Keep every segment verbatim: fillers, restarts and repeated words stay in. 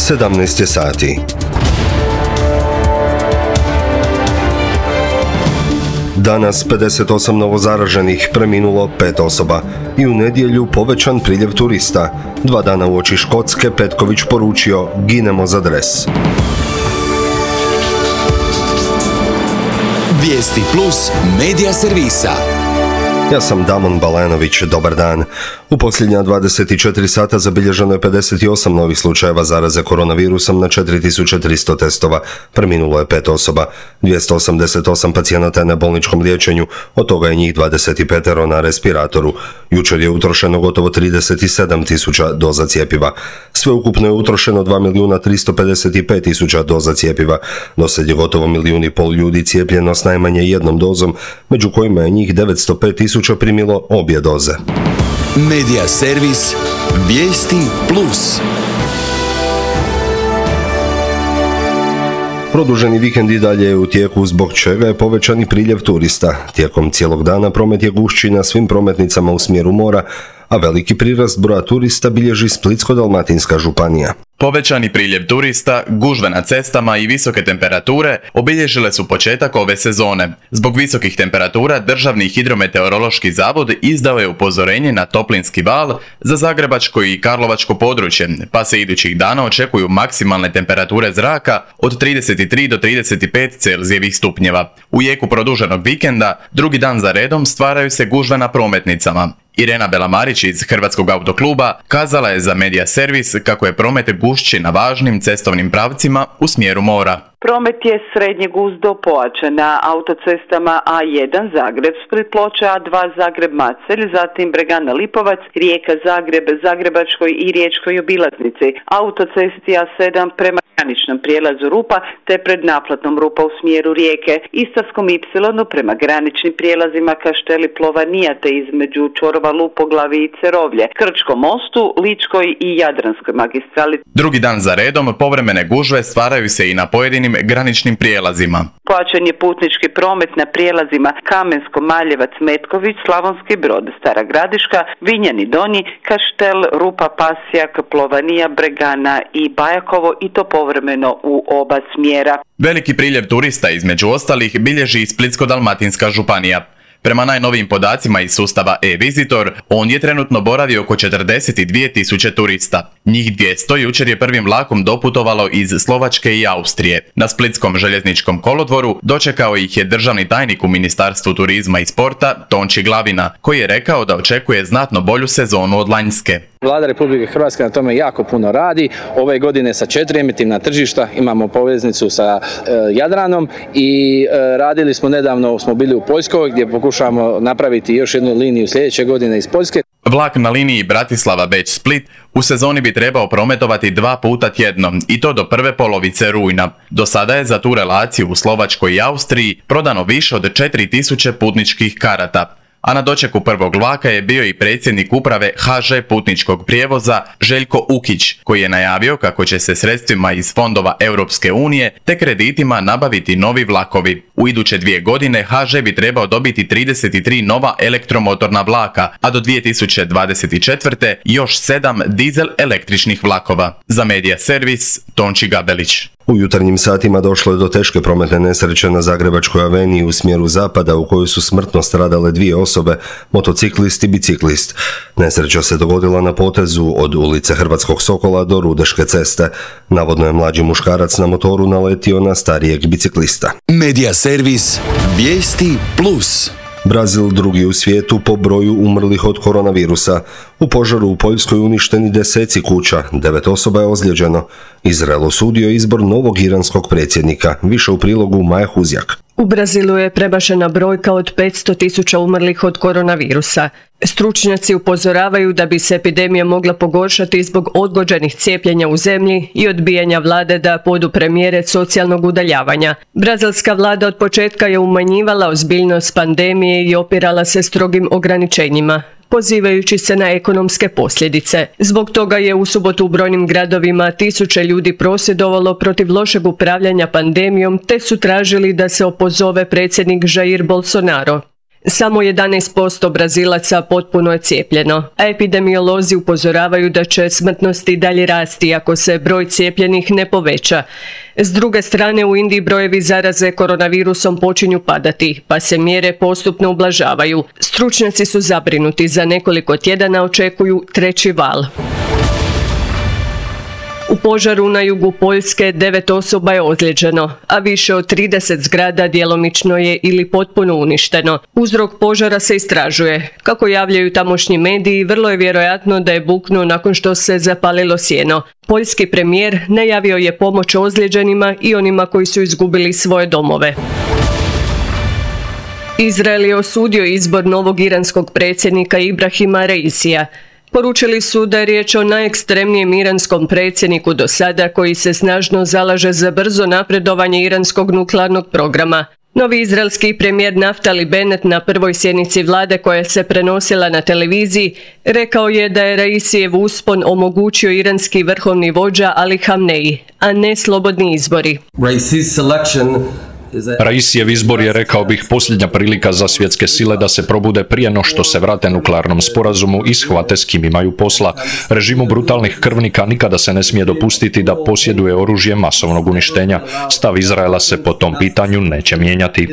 sedamnaest je sati. Danas pedeset osam novozaraženih, preminulo pet osoba i u nedjelju povećan priljev turista. Dva dana uoči Škotske Petković poručio: ginemo za dres. Vijesti plus medija servisa. Ja sam Damon Balenović, dobar dan. U posljednja dvadeset četiri sata zabilježeno je pedeset osam novih slučajeva zaraze koronavirusom na četiri tisuće tristo testova. Preminulo je pet osoba. dvjesto osamdeset osam pacijenata je na bolničkom liječenju, od toga je njih dvadeset pet na respiratoru. Jučer je utrošeno gotovo trideset sedam tisuća doza cjepiva. Sveukupno je utrošeno dva milijuna tristo pedeset pet tisuća doza cjepiva. Dosad je gotovo milijun i pol ljudi cijepljeno s najmanje jednom dozom, među kojima je njih devetsto pet tisuća primilo obje doze. Medija servis Vijesti plus. Produženi vikend i dalje je u tijeku, zbog čega je povećani priljev turista. Tijekom cijelog dana promet je gušći na svim prometnicama u smjeru mora, a veliki prirast broja turista bilježi Splitsko-dalmatinska županija. Povećani priljev turista, gužve na cestama i visoke temperature obilježile su početak ove sezone. Zbog visokih temperatura Državni hidrometeorološki zavod izdao je upozorenje na toplinski val za zagrebačko i karlovačko područje, pa se idućih dana očekuju maksimalne temperature zraka od trideset tri do trideset pet Celzijevih stupnjeva. U jeku produženog vikenda, drugi dan za redom stvaraju se gužve na prometnicama. Irena Belamarić iz Hrvatskog autokluba kazala je za Medija servis kako je promet gušći na važnim cestovnim pravcima u smjeru mora. Promet je srednje gust do pojačan na autocestama A jedan Zagreb Split Ploče, A dva Zagreb Macelj, zatim Bregana Lipovac, Rijeka Zagreb, Zagrebačkoj i Riječkoj obilaznici, autocesti A sedam prema graničnom prijelazu Rupa te pred naplatnom Rupa u smjeru Rijeke, Istarskom Ipsilonu prema graničnim prijelazima Kašteli Plovanija te između Čorova Lupoglavi i Cerovlje, Krčkom mostu, Ličkoj i Jadranskoj magistrali. Drugi dan za redom povremene gužve stvaraju se i na pojedinim graničnim prijelazima. Pojačan je putnički promet na prijelazima Kamensko, Maljevac, Metković, Slavonski Brod, Stara Gradiška, Vinjani Donji, Kaštel, Rupa, Pasjak, Plovanija, Bregana i Bajakovo, i to povremeno u oba smjera. Veliki priljev turista između ostalih bilježi i Splitsko-dalmatinska županija. Prema najnovijim podacima iz sustava e-Visitor, on je trenutno boravio oko četrdeset dvije tisuće turista. Njih dvjesto jučer je prvim vlakom doputovalo iz Slovačke i Austrije. Na splitskom željezničkom kolodvoru dočekao ih je državni tajnik u Ministarstvu turizma i sporta, Tonči Glavina, koji je rekao da očekuje znatno bolju sezonu od lanjske. Vlada Republike Hrvatske na tome jako puno radi. Ove godine sa četiri emitivna tržišta imamo poveznicu sa e, Jadranom i e, radili smo nedavno, smo bili u Poljskoj gdje pokušavamo napraviti još jednu liniju sljedeće godine iz Poljske. Vlak na liniji Bratislava-Beč-Split u sezoni bi trebao prometovati dva puta tjedno i to do prve polovice rujna. Do sada je za tu relaciju u Slovačkoj i Austriji prodano više od četiri tisuće putničkih karata. A na dočeku prvog vlaka je bio i predsjednik uprave ha že putničkog prijevoza Željko Ukić, koji je najavio kako će se sredstvima iz fondova Europske unije te kreditima nabaviti novi vlakovi. U iduće dvije godine ha že bi trebao dobiti trideset tri nova elektromotorna vlaka, a do dvije tisuće dvadeset četvrte još sedam dizel električnih vlakova. Za Medija servis, Tonči Gabelić. U jutarnjim satima došlo je do teške prometne nesreće na Zagrebačkoj aveniji u smjeru zapada, u kojoj su smrtno stradale dvije osobe, motociklist i biciklist. Nesreća se dogodila na potezu od ulice Hrvatskog Sokola do Rudeške ceste. Navodno je mlađi muškarac na motoru naletio na starijeg biciklista. Medija servis Vijesti plus. Brazil drugi u svijetu po broju umrlih od koronavirusa. U požaru u Poljskoj uništeni deseci kuća, devet osoba je ozlijeđeno. Izrael osudio izbor novog iranskog predsjednika. Više u prilogu Maja Huzjak. U Brazilu je premašena brojka od petsto tisuća umrlih od koronavirusa. Stručnjaci upozoravaju da bi se epidemija mogla pogoršati zbog odgođenih cijepljenja u zemlji i odbijanja vlade da podupre mjere socijalnog udaljavanja. Brazilska vlada od početka je umanjivala ozbiljnost pandemije i opirala se strogim ograničenjima, pozivajući se na ekonomske posljedice. Zbog toga je u subotu u brojnim gradovima tisuće ljudi prosvjedovalo protiv lošeg upravljanja pandemijom te su tražili da se opozove predsjednik Jair Bolsonaro. Samo jedanaest posto Brazilaca potpuno je cijepljeno, a epidemiolozi upozoravaju da će smrtnost i dalje rasti ako se broj cijepljenih ne poveća. S druge strane, u Indiji brojevi zaraze koronavirusom počinju padati, pa se mjere postupno ublažavaju. Stručnjaci su zabrinuti, za nekoliko tjedana očekuju treći val. U požaru na jugu Poljske devet osoba je ozlijeđeno, a više od trideset zgrada djelomično je ili potpuno uništeno. Uzrok požara se istražuje. Kako javljaju tamošnji mediji, vrlo je vjerojatno da je buknuo nakon što se zapalilo sjeno. Poljski premijer najavio je pomoć ozlijeđenima i onima koji su izgubili svoje domove. Izrael je osudio izbor novog iranskog predsjednika Ibrahima Raisija. Poručili su da je riječ o najekstremnijem iranskom predsjedniku do sada koji se snažno zalaže za brzo napredovanje iranskog nuklearnog programa. Novi izraelski premijer Naftali Bennett na prvoj sjednici vlade koja se prenosila na televiziji rekao je da je Raisijev uspon omogućio iranski vrhovni vođa Ali Hamneji, a ne slobodni izbori. Raisijev izbor je, rekao bih, posljednja prilika za svjetske sile da se probude prije no što se vrate nuklearnom sporazumu i shvate s kim imaju posla. Režimu brutalnih krvnika nikada se ne smije dopustiti da posjeduje oružje masovnog uništenja. Stav Izraela se po tom pitanju neće mijenjati.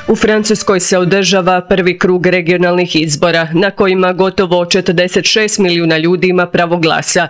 U Francuskoj se održava prvi krug regionalnih izbora, na kojima gotovo četrdeset šest milijuna ljudi ima pravo glasa.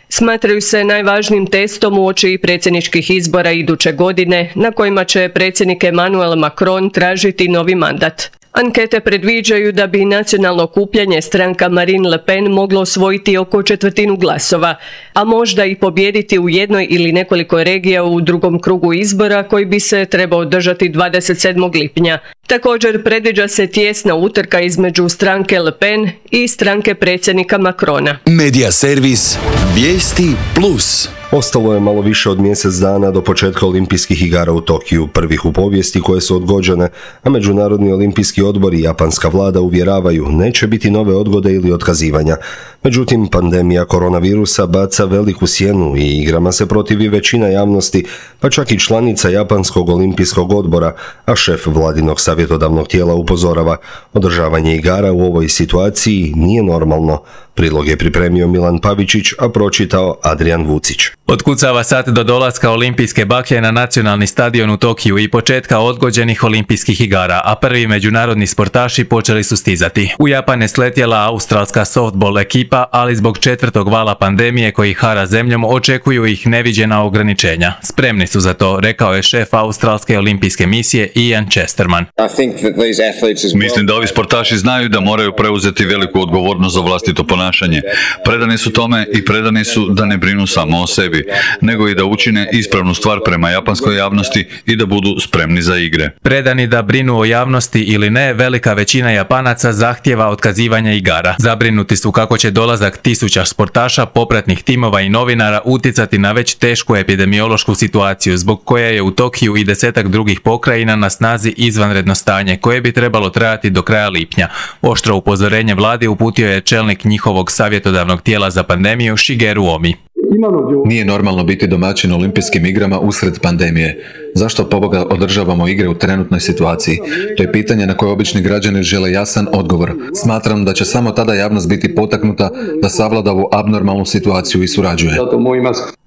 Smatraju se najvažnijim testom uoči predsjedničkih izbora iduće godine, na kojima će predsjednik Emmanuel Macron tražiti novi mandat. Ankete predviđaju da bi nacionalno okupljanje stranka Marine Le Pen moglo osvojiti oko četvrtinu glasova, a možda i pobijediti u jednoj ili nekoliko regija u drugom krugu izbora koji bi se trebao održati dvadeset sedmog lipnja. Također predviđa se tijesna utrka između stranke Le Pen i stranke predsjednika Macrona. Medija servis Vijesti Plus. Ostalo je malo više od mjesec dana do početka olimpijskih igara u Tokiju, prvih u povijesti koje su odgođene, a Međunarodni olimpijski odbor i japanska vlada uvjeravaju neće biti nove odgode ili otkazivanja. Međutim, pandemija koronavirusa baca veliku sjenu i igrama se protivi većina javnosti, pa čak i članica Japanskog olimpijskog odbora, a šef vladinog savjetodavnog tijela upozorava, održavanje igara u ovoj situaciji nije normalno. Prilog je pripremio Milan Pavičić, a pročitao Adrian Vucić. Otkucava sat do dolaska olimpijske baklje na nacionalni stadion u Tokiju i početka odgođenih olimpijskih igara, a prvi međunarodni sportaši počeli su stizati. U Japan je sletjela australska softball ekipa, ali zbog četvrtog vala pandemije koji hara zemljom očekuju ih neviđena ograničenja. Spremni su za to, rekao je šef australske olimpijske misije Ian Chesterman. Mislim da ovi sportaši znaju da moraju preuzeti veliku odgovornost za vlastito ponašanje. Predani su tome i predani su da ne brinu samo o sebi, nego i da učine ispravnu stvar prema japanskoj javnosti i da budu spremni za igre. Predani da brinu o javnosti ili ne, velika većina Japanaca zahtjeva otkazivanje igara. Zabrinuti su kako će dolazak tisuća sportaša, popratnih timova i novinara utjecati na već tešku epidemiološku situaciju, zbog koje je u Tokiju i desetak drugih pokrajina na snazi izvanredno stanje, koje bi trebalo trajati do kraja lipnja. Oštro upozorenje vladi uputio je čelnik njihovog savjetodavnog tijela za pandemiju Shigeru Omi. Nije normalno biti domaćin olimpijskim igrama usred pandemije. Zašto poboga održavamo igre u trenutnoj situaciji? To je pitanje na koje obični građani žele jasan odgovor. Smatram da će samo tada javnost biti potaknuta da savlada ovu abnormalnu situaciju i surađuje.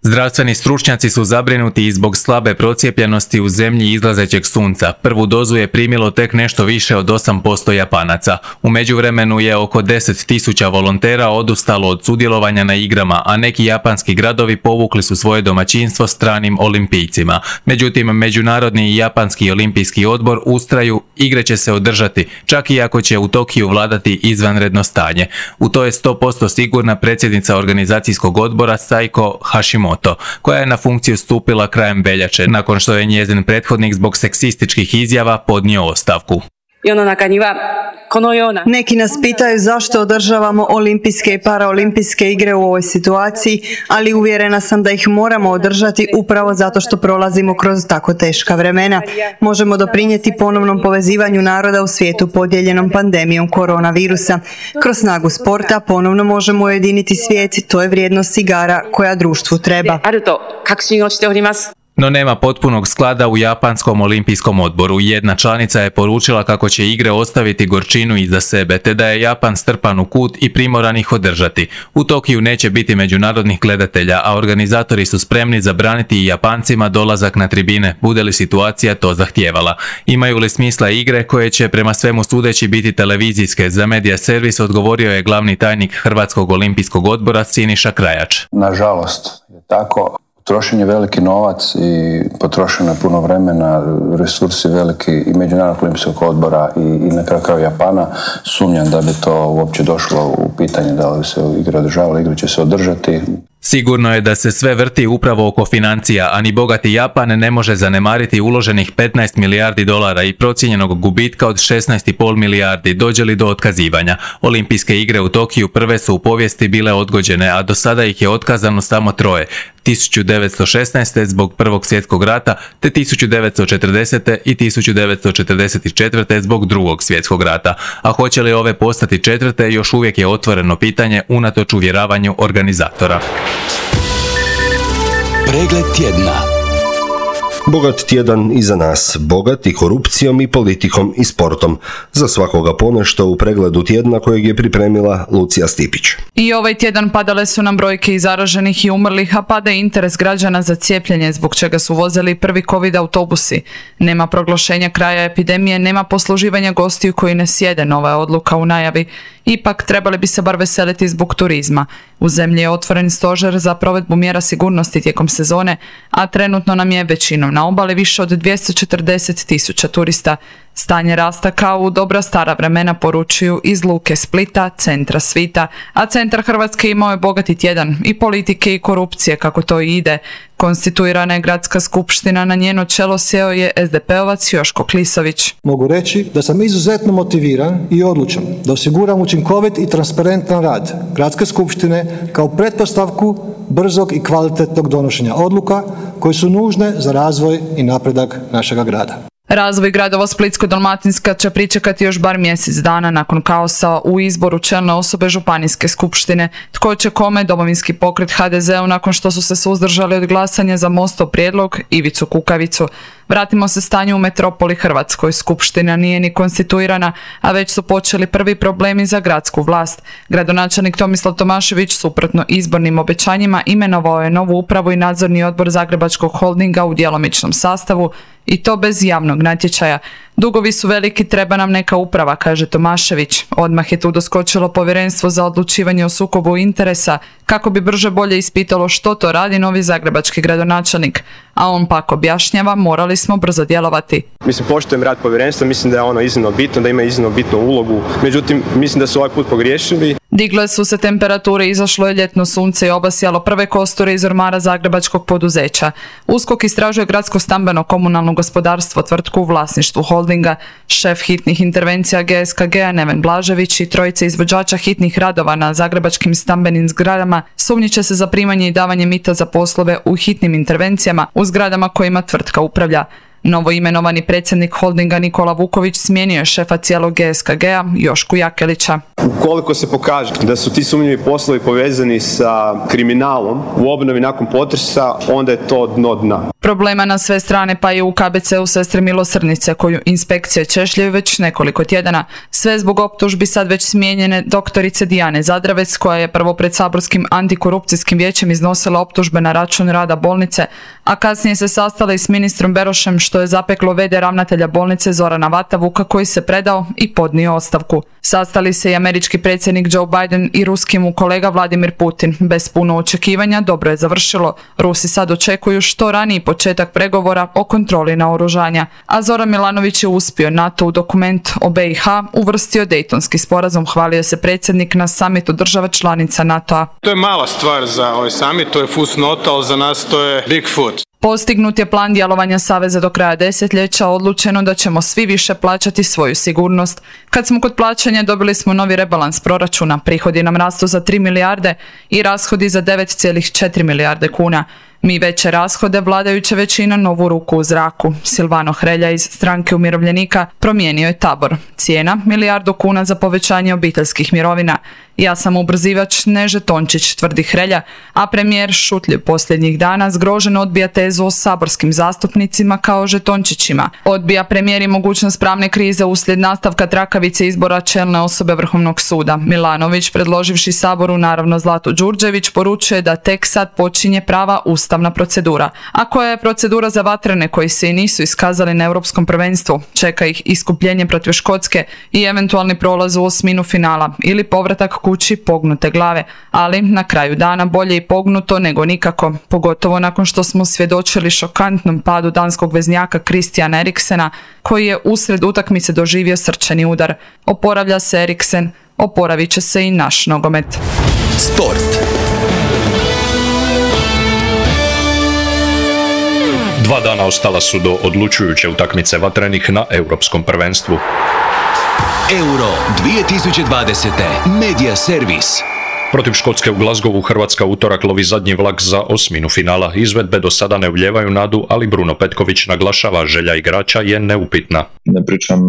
Zdravstveni stručnjaci su zabrinuti i zbog slabe procijepljenosti u zemlji izlazećeg sunca. Prvu dozu je primilo tek nešto više od osam posto Japanaca. U međuvremenu je oko deset tisuća volontera odustalo od sudjelovanja na igrama, a neki japanski gradovi povukli su svoje domaćinstvo stranim olimpijcima. Međutim, Međunarodni i Japanski olimpijski odbor ustraju, igre će se održati, čak i ako će u Tokiju vladati izvanredno stanje. U to je sto posto sigurna predsjednica organizacijskog odbora Saiko Hashimoto, koja je na funkciju stupila krajem veljače, nakon što je njezin prethodnik zbog seksističkih izjava podnio ostavku. Neki nas pitaju zašto održavamo olimpijske i paraolimpijske igre u ovoj situaciji, ali uvjerena sam da ih moramo održati upravo zato što prolazimo kroz tako teška vremena. Možemo doprinijeti ponovnom povezivanju naroda u svijetu podijeljenom pandemijom koronavirusa. Kroz snagu sporta ponovno možemo ujediniti svijet, to je vrijednost igara koja društvu treba. No nema potpunog sklada u Japanskom olimpijskom odboru. Jedna članica je poručila kako će igre ostaviti gorčinu iza sebe, te da je Japan strpan u kut i primoran ih održati. U Tokiju neće biti međunarodnih gledatelja, a organizatori su spremni zabraniti i Japancima dolazak na tribine, bude li situacija to zahtijevala. Imaju li smisla igre koje će prema svemu sudeći biti televizijske? Za Medija servis odgovorio je glavni tajnik Hrvatskog olimpijskog odbora Siniša Krajač. Nažalost je tako. Trošen je veliki novac i potrošeno je puno vremena, resursi veliki i Međunarodnog olimpijskog odbora i, i na kraju kraju Japana. Sumnjam da bi to uopće došlo u pitanje da li se igre održavale, igre će se održati. Sigurno je da se sve vrti upravo oko financija, a ni bogati Japan ne može zanemariti uloženih petnaest milijardi dolara i procijenjenog gubitka od šesnaest i pol milijardi dođe li do otkazivanja. Olimpijske igre u Tokiju prve su u povijesti bile odgođene, a do sada ih je otkazano samo troje. tisuću devetsto šesnaeste. zbog Prvog svjetskog rata, te tisuću devetsto četrdesete. i tisuću devetsto četrdeset četvrte. zbog Drugog svjetskog rata. A hoće li ove postati četvrte, još uvijek je otvoreno pitanje unatoč uvjeravanju organizatora. Pregled tjedna. Bogat tjedan iza nas, bogat i korupcijom i politikom i sportom. Za svakoga ponešto u pregledu tjedna kojeg je pripremila Lucija Stipić. I ovaj tjedan padale su nam brojke i zaraženih i umrlih, a pada interes građana za cijepljenje, zbog čega su vozili prvi covid autobusi. Nema proglašenja kraja epidemije, nema posluživanja gostiju koji ne sjede, nova je odluka u najavi. Ipak trebali bi se bar veseliti zbog turizma. U zemlji je otvoren stožer za provedbu mjera sigurnosti tijekom sezone, a trenutno nam je većinom na obali više od dvjesto četrdeset tisuća turista. Stanje rasta kao u dobra stara vremena, poručuju iz luke Splita, centra svita, a centar Hrvatske imao je bogati tjedan i politike i korupcije, kako to i ide. Konstituirana je gradska skupština, na njeno čelo sjeo je es de pe ovac Joško Klisović. Mogu reći da sam izuzetno motiviran i odlučan da osiguram učinkovit i transparentan rad gradske skupštine kao pretpostavku brzog i kvalitetnog donošenja odluka koje su nužne za razvoj i napredak našega grada. Razvoj gradova Splitsko-dalmatinska će pričekati još bar mjesec dana nakon kaosa u izboru čelne osobe županijske skupštine. Tko će kome, Domovinski pokret ha de zeu nakon što su se suzdržali od glasanja za Mostov prijedlog Ivicu Kukavicu. Vratimo se stanju u metropoli Hrvatskoj. Skupština nije ni konstituirana, a već su počeli prvi problemi za gradsku vlast. Gradonačelnik Tomislav Tomašević, suprotno izbornim obećanjima, imenovao je novu upravu i nadzorni odbor Zagrebačkog holdinga u djelomičnom sastavu, i to bez javnog natječaja. Dugovi su veliki, treba nam neka uprava, kaže Tomašević. Odmah je tu doskočilo povjerenstvo za odlučivanje o sukobu interesa, kako bi brže bolje ispitalo što to radi novi zagrebački gradonačelnik. A on pak objašnjava, morali smo brzo djelovati. Mislim, poštujem rad povjerenstva, mislim da je ono iznimno bitno, da ima iznimno bitnu ulogu. Međutim, mislim da su ovaj put pogriješili. Digle su se temperature, izašlo je ljetno sunce i obasjalo prve kosture iz ormara zagrebačkog poduzeća. USKOK istražuje gradsko stambeno komunalno gospodarstvo, tvrtku u vlasništvu holdinga. Šef hitnih intervencija ge es ka gea Neven Blažević i trojice izvođača hitnih radova na zagrebačkim stambenim zgradama sumnjiče se za primanje i davanje mita za poslove u hitnim intervencijama u zgradama kojima tvrtka upravlja. Novo imenovani predsjednik holdinga Nikola Vuković smijenio je šefa cijelog ge es ka gea Jošku Jakelića. Ukoliko se pokaže da su ti sumnjivi poslovi povezani sa kriminalom u obnovi nakon potresa, onda je to dno dna. Problema na sve strane, pa i u ka be ce u Sestre Milosrdnice, koju inspekcije češljaju već nekoliko tjedana. Sve zbog optužbi sad već smijenjene doktorice Dijane Zadravec, koja je prvo pred saborskim antikorupcijskim vijećem iznosila optužbe na račun rada bolnice, a kasnije se sastala i s ministrom Berošem, što je zapeklo ve de ravnatelja bolnice Zorana Vatavuka, koji se predao i podnio ostavku. Sastali se i američki predsjednik Joe Biden i ruski mu kolega Vladimir Putin. Bez puno očekivanja dobro je završilo. Rusi sad očekuju što raniji početak pregovora o kontroli naoružanja. A Zoran Milanović je uspio. NATO u dokument o be i ha uvrstio Dejtonski sporazum, hvalio se predsjednik na samitu država članica NATO-a. To je mala stvar za ovaj samit, to je fusnota, ali za nas to je Bigfoot. Postignut je plan djelovanja Saveza do kraja desetljeća, odlučeno da ćemo svi više plaćati svoju sigurnost. Kad smo kod plaćanja, dobili smo novi rebalans proračuna, prihodi nam rastu za tri milijarde i rashodi za devet zarez četiri milijarde kuna. Mi veće rashode, vladajuća većina novu ruku u zraku. Silvano Hrelja iz Stranke umirovljenika promijenio je tabor. Cijena milijardu kuna za povećanje obiteljskih mirovina. Ja sam ubrzivač, ne žetončić, tvrdi Hrelja, a premijer šutljiv posljednjih dana zgrožen odbija tezu o saborskim zastupnicima kao žetončićima. Odbija premijer i mogućnost pravne krize uslijed nastavka trakavice izbora čelne osobe Vrhovnog suda. Milanović, predloživši Saboru naravno Zlatu Đurđević, poručuje da tek sad počinje prava ustavna procedura. A koja je procedura za vatrene koji se i nisu iskazali na europskom prvenstvu? Čeka ih iskupljenje protiv Škotske i eventualni prolaz u osminu finala ili povratak kući pognute glave, ali na kraju dana bolje i pognuto nego nikako, pogotovo nakon što smo svjedočili šokantnom padu danskog veznjaka Christiana Eriksena, koji je usred utakmice doživio srčani udar. Oporavlja se Eriksen, oporavit će se i naš nogomet. Sport. Dva dana ostala su do odlučujuće utakmice vatrenih na europskom prvenstvu. Euro dvije tisuće dvadesete. Media servis. Protiv Škotske u Glasgowu Hrvatska utorak lovi zadnji vlak za osminu finala. Izvedbe do sada ne ulijevaju nadu, ali Bruno Petković naglašava želja igrača je neupitna. Ne pričam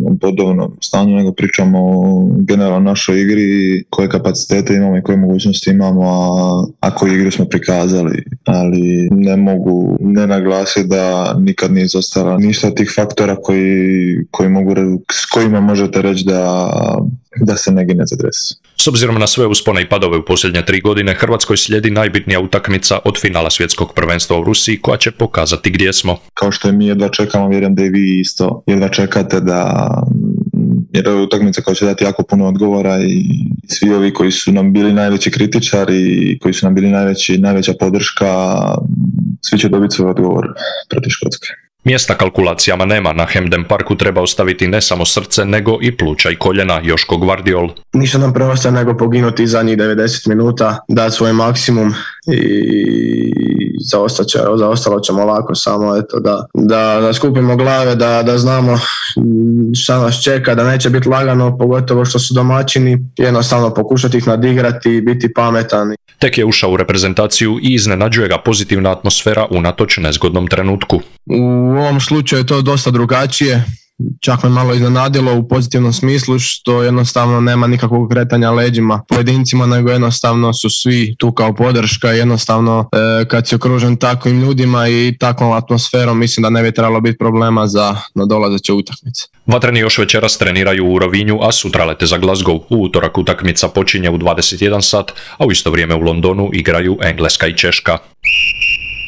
o bodovnom stanju, nego pričam o generalno našoj igri, koje kapacitete imamo i koje mogućnosti imamo, a, a koju igru smo prikazali. Ali ne mogu ne naglasiti da nikad nije izostala ništa tih faktora koji, koji mogu, s kojima možete reći da, da se ne gine za dres. S obzirom na sve uspone i padove u posljednje tri godine, Hrvatskoj slijedi najbitnija utakmica od finala svjetskog prvenstva u Rusiji, koja će pokazati gdje smo. Kao što je mi jedva čekamo, vjerujem da i vi isto jedva čekate, da jer je utakmica koja će dati jako puno odgovora i svi ovi koji su nam bili najveći kritičari, koji su nam bili najveći, najveća podrška, svi će dobiti svoj odgovor protiv Škotske. Mjesta kalkulacijama nema, na Hampden Parku treba ostaviti ne samo srce, nego i pluća i koljena, Joško Gvardiol. Ništa nam preostaje nego poginuti zadnjih devedeset minuta, dati svoj maksimum i zaostalo ćemo lako, samo eto da, da, da skupimo glave, da, da znamo šta nas čeka, da neće biti lagano, pogotovo što su domaćini, jednostavno pokušati ih nadigrati i biti pametan. Tek je ušao u reprezentaciju i iznenađuje ga pozitivna atmosfera unatoč nezgodnom trenutku. U ovom slučaju je to dosta drugačije, čak me malo iznenadilo u pozitivnom smislu, što jednostavno nema nikakvog kretanja leđima pojedincima, nego jednostavno su svi tu kao podrška i jednostavno e, kad si okružen takvim ljudima i takvom atmosferom, mislim da ne bi trebalo biti problema za nadolazeće utakmice. Vatreni još večeras treniraju u Rovinju, a sutra lete za Glasgow. U utorak utakmica počinje u dvadeset jedan sat, a u isto vrijeme u Londonu igraju Engleska i Češka.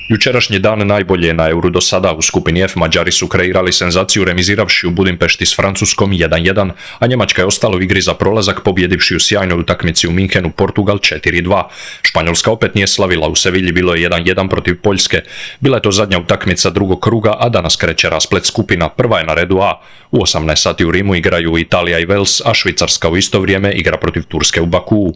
Jučerašnji dan najbolje je na Euru do sada. U skupini F Mađari su kreirali senzaciju remiziravši u Budimpešti s Francuskom jedan jedan, a Njemačka je ostala u igri za prolazak pobjedivši u sjajnoj utakmici u Minhenu Portugal četiri dva. Španjolska opet nije slavila, u Sevilji bilo je jedan jedan protiv Poljske. Bila je to zadnja utakmica drugog kruga, a danas kreće rasplet skupina. Prva je na redu A. U osamnaest sati u Rimu igraju Italija i Wales, a Švicarska u isto vrijeme igra protiv Turske u Bakuu.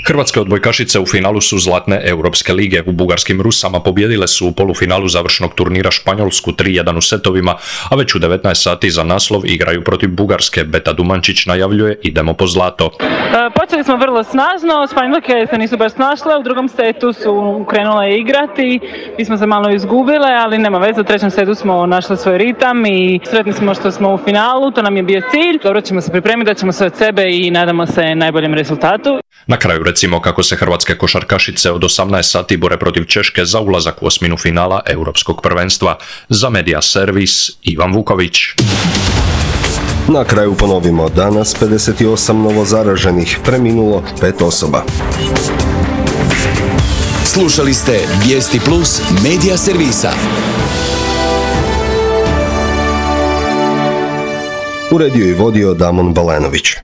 Hrvatske odbojkašice u finalu su zlatne Europske lige. U bugarskim Rusama pobjedile su u polufinalu završnog turnira Španjolsku tri jedan u setovima, a već u devetnaest sati za naslov igraju protiv Bugarske. Beta Dumančić najavljuje idemo po zlato. Počeli smo vrlo snažno, Španjolke se nisu baš snašle, u drugom setu su krenule igrati, mi smo se malo izgubile, ali nema veze, u trećem setu smo našli svoj ritam i sretni smo što smo u finalu, to nam je bio cilj. Dobro ćemo se pripremiti, da ćemo sve od sebe i nadamo se najboljem rezultatu. Na kraju recimo kako se hrvatske košarkašice od osamnaest sati bore protiv Češke za ulazak u osminu finala Europskog prvenstva. Za Media servis Ivan Vuković. Na kraju ponovimo, danas pedeset osam novozaraženih, preminulo pet osoba. Slušali ste Vijesti Plus Media servisa. Uredio i vodio Damon Balenović.